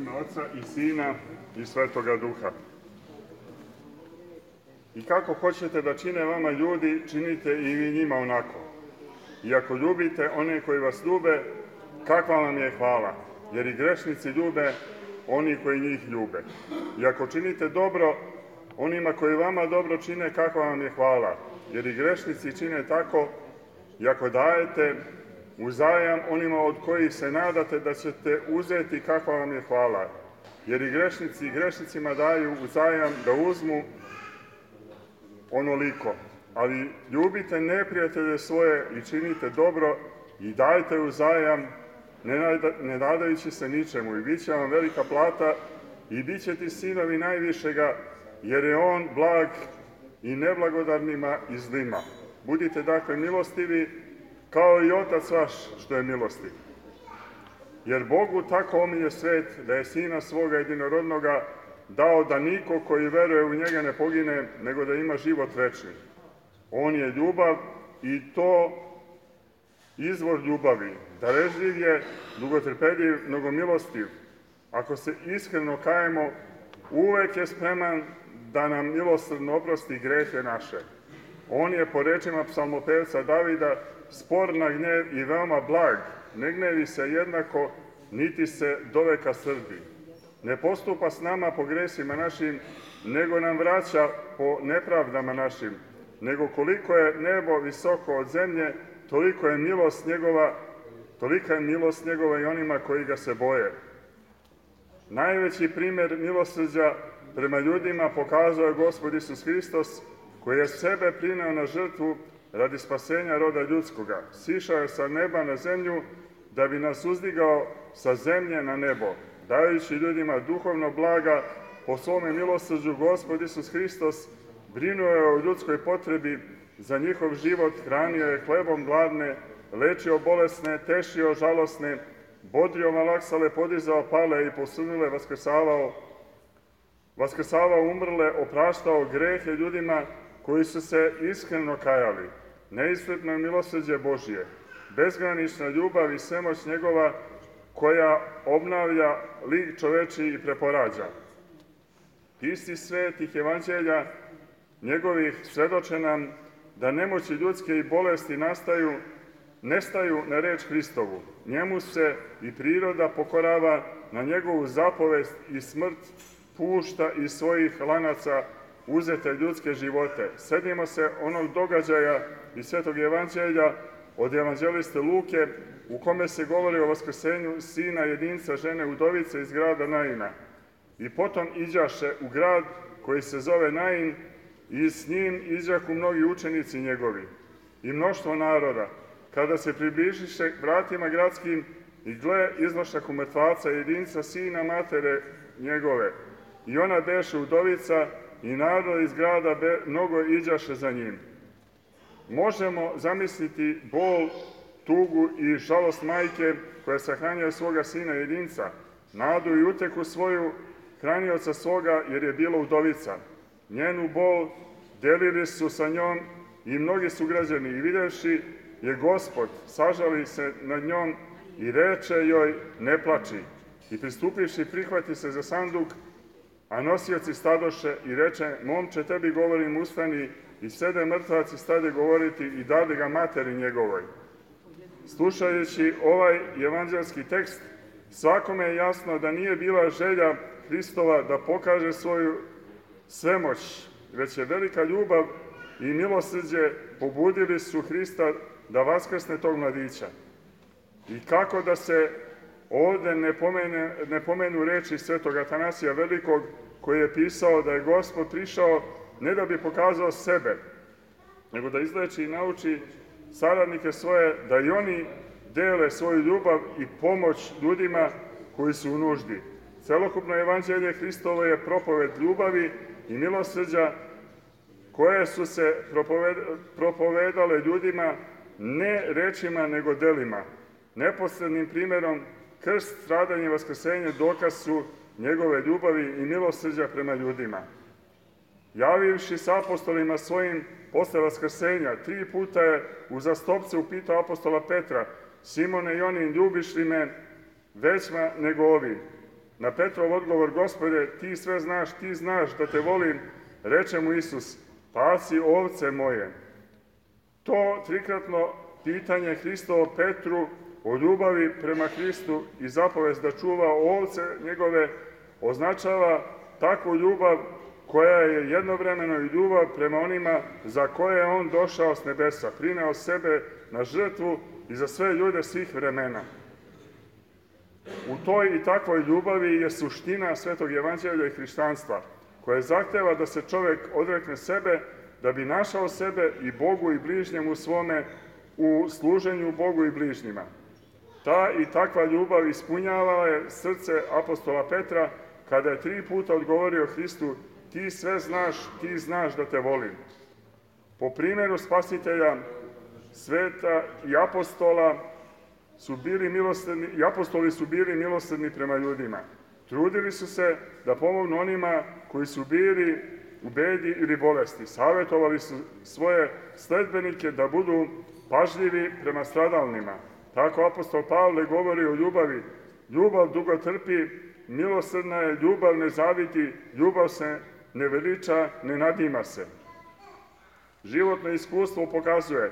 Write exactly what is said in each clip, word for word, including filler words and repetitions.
ime Oca i Sina i Svetoga Duha. I kako hoćete da čine vama ljudi, činite i vi njima onako. I ako ljubite one koji vas ljube, kakva vam je hvala, jer i grešnici ljube oni koji njih ljube. I ako činite dobro onima koji vama dobro čine, kakva vam je hvala, jer i grešnici čine tako. I ako dajete uzajam onima od kojih se nadate da ćete uzeti, kakva vam je hvala, jer i grešnici i grešnicima daju uzajam da uzmu onoliko. Ali ljubite neprijatelje svoje i činite dobro i dajte uzajam, ne nadajući se ničemu, i bit će vam velika plata i bit će ti sinovi najvišega, jer je on blag i neblagodarnima i zlima. Budite dakle milostivi, kao i Otac vaš što je milostiv. Jer Bogu tako omilje svet, da je Sina svoga jedinorodnoga dao, da niko koji veruje u njega ne pogine, nego da ima život večni. On je ljubav i to izvor ljubavi. Darežljiv je, dugotrpeljiv, mnogomilostiv. Ako se iskreno kajemo, uvek je spreman da nam milosrdno oprosti grehe naše. On je, po rečima psalmopevca Davida, spor na gnjev i veoma blag, ne gnevi se jednako, niti se doveka srbi. Ne postupa s nama po gresima našim, nego nam vraća po nepravdama našim. Nego koliko je nebo visoko od zemlje, toliko je milost njegova, tolika je milost njegova i onima koji ga se boje. Najveći primer milosrđa prema ljudima pokazao je Gospod Isus Hristos, koji je sebe prineo na žrtvu radi spasenja roda ljudskoga. Sišao je sa neba na zemlju da bi nas uzdigao sa zemlje na nebo. Dajući ljudima duhovno blaga, po svome milosrđu Gospod Isus Hristos brinuo je o ljudskoj potrebi za njihov život, hranio je hlebom gladne, lečio bolesne, tešio žalosne, bodrio malaksale, podizao pale i posunule, vaskrsavao, vaskrsavao umrle, opraštao grehe ljudima koji su se iskreno kajali. Neiscrpno milosrđe Božije, bezgranična ljubav i svemoć njegova, koja obnavlja lik čoveči i preporađa. Isti svetih evanđelja njegovih svedoče nam da nemoći ljudske i bolesti nastaju, nestaju na reč Hristovu. Njemu se i priroda pokorava, na njegovu zapovest i smrt pušta iz svojih lanaca uzete ljudske živote. Sedimo se onog događaja iz Svetog evanđelja od evanđeliste Luke, u kome se govori o vaskrsenju sina jedinca žene udovice iz grada Naina. I potom iđaše u grad koji se zove Nain, i s njim iđahu mnogi učenici njegovi i mnoštvo naroda. Kada se približiše vratima gradskim, i gle, iznošahu mrtvaca jedinca sina matere njegove. I ona beše udovica, i narod iz grada be, mnogo iđaše za njim. Možemo zamisliti bol, tugu i žalost majke koja sahranjuje svoga sina jedinca, nadu i uteku svoju hranioca svoga, jer je bila udovica. Njenu bol delili su sa njom i mnogi sugrađani, i videvši je Gospod, sažali se nad njom i reče joj, ne plači. I pristupivši, prihvati se za sanduk, a nosioci stadoše, i reče, momče, tebi govorim, ustani. I sede mrtvaci stade govoriti i dade ga materi njegovoj. Slušajući ovaj evanđelski tekst, svakome je jasno da nije bila želja Hristova da pokaže svoju svemoć, već je velika ljubav i milosrđe pobudili su Hrista da vaskrsne tog mladića. I kako da se ovde ne, pomene, ne pomenu reči svetog Atanasija Velikog, koji je pisao da je Gospod prišao ne da bi pokazao sebe, nego da izleči i nauči saradnike svoje da i oni dele svoju ljubav i pomoć ljudima koji su u nuždi. Celokupno evanđelje Hristovo je propoved ljubavi i milosrđa, koje su se propovedale ljudima ne rečima nego delima. Neposrednim primerom, krst, stradanje i vaskrsenje dokaz su njegove ljubavi i milosrđa prema ljudima. Javivši s apostolima svojim posle vaskrsenja, tri puta je uzastopce upitao apostola Petra, Simone i onin, ljubiš li me većma nego ovi? na Petrov odgovor: Gospode, ti sve znaš, ti znaš da te volim, reče mu Isus: pasi ovce moje. To trikratno pitanje Hristovo Petru o ljubavi prema Hristu i zapovest da čuva ovce njegove označava takvu ljubav koja je jednovremeno i ljubav prema onima za koje je on došao s nebesa, prineo sebe na žrtvu i za sve ljude svih vremena. U toj i takvoj ljubavi je suština Svetog evanđelja i hrišćanstva, koje zahteva da se čovek odrekne sebe da bi našao sebe i Bogu i bližnjemu svome u služenju Bogu i bližnjima. Ta i takva ljubav ispunjava je srce apostola Petra kada je tri puta odgovorio Hristu: ti sve znaš, ti znaš da te volim. Po primjeru Spasitelja, sveta i apostola su bili milosrdni, i apostoli su bili milosrdni prema ljudima. Trudili su se da pomognu onima koji su bili u bedi ili bolesti. Savjetovali su svoje sledbenike da budu pažljivi prema stradalnima. Tako apostol Pavle govori o ljubavi: ljubav dugo trpi, milosrdna je, ljubav ne zavidi, ljubav se ne veliča, ne nadima se. Životno iskustvo pokazuje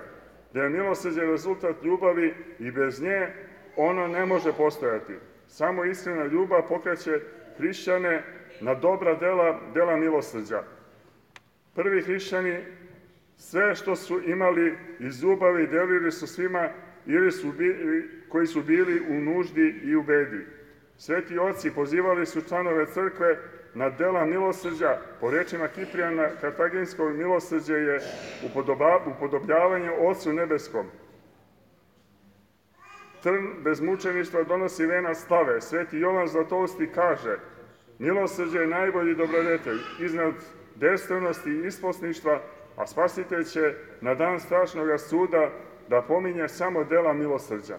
da je milosrđe rezultat ljubavi i bez nje ono ne može postojati. Samo iskrena ljubav pokreće hrišćane na dobra dela, dela milosrđa. Prvi hrišćani sve što su imali iz ljubavi delili su svima ili su bili, koji su bili u nuždi i u bedi. Sveti oci pozivali su članove crkve na dela milosrđa. Po rečima Kiprijana Kartaginskog, milosrđe je upodobljavanje Ocu nebeskom. Trn bez mučeništva donosi venac slave. Sveti Jovan Zlatousti kaže: milosrđe je najbolji dobrodetelj iznad destrvnosti i isposništva, a Spasitelj će na dan strašnog suda da pominje samo dela milosrđa.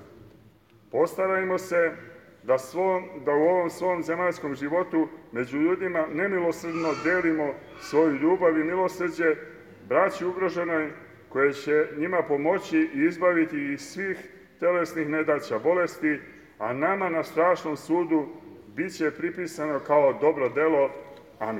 Postarajmo se da, svom, da u ovom svom zemaljskom životu među ljudima nemilosrdno delimo svoju ljubav i milosrđe braći ugroženoj, koje će njima pomoći i izbaviti iz svih telesnih nedaća, bolesti, a nama na strašnom sudu bit će pripisano kao dobro delo. Amin.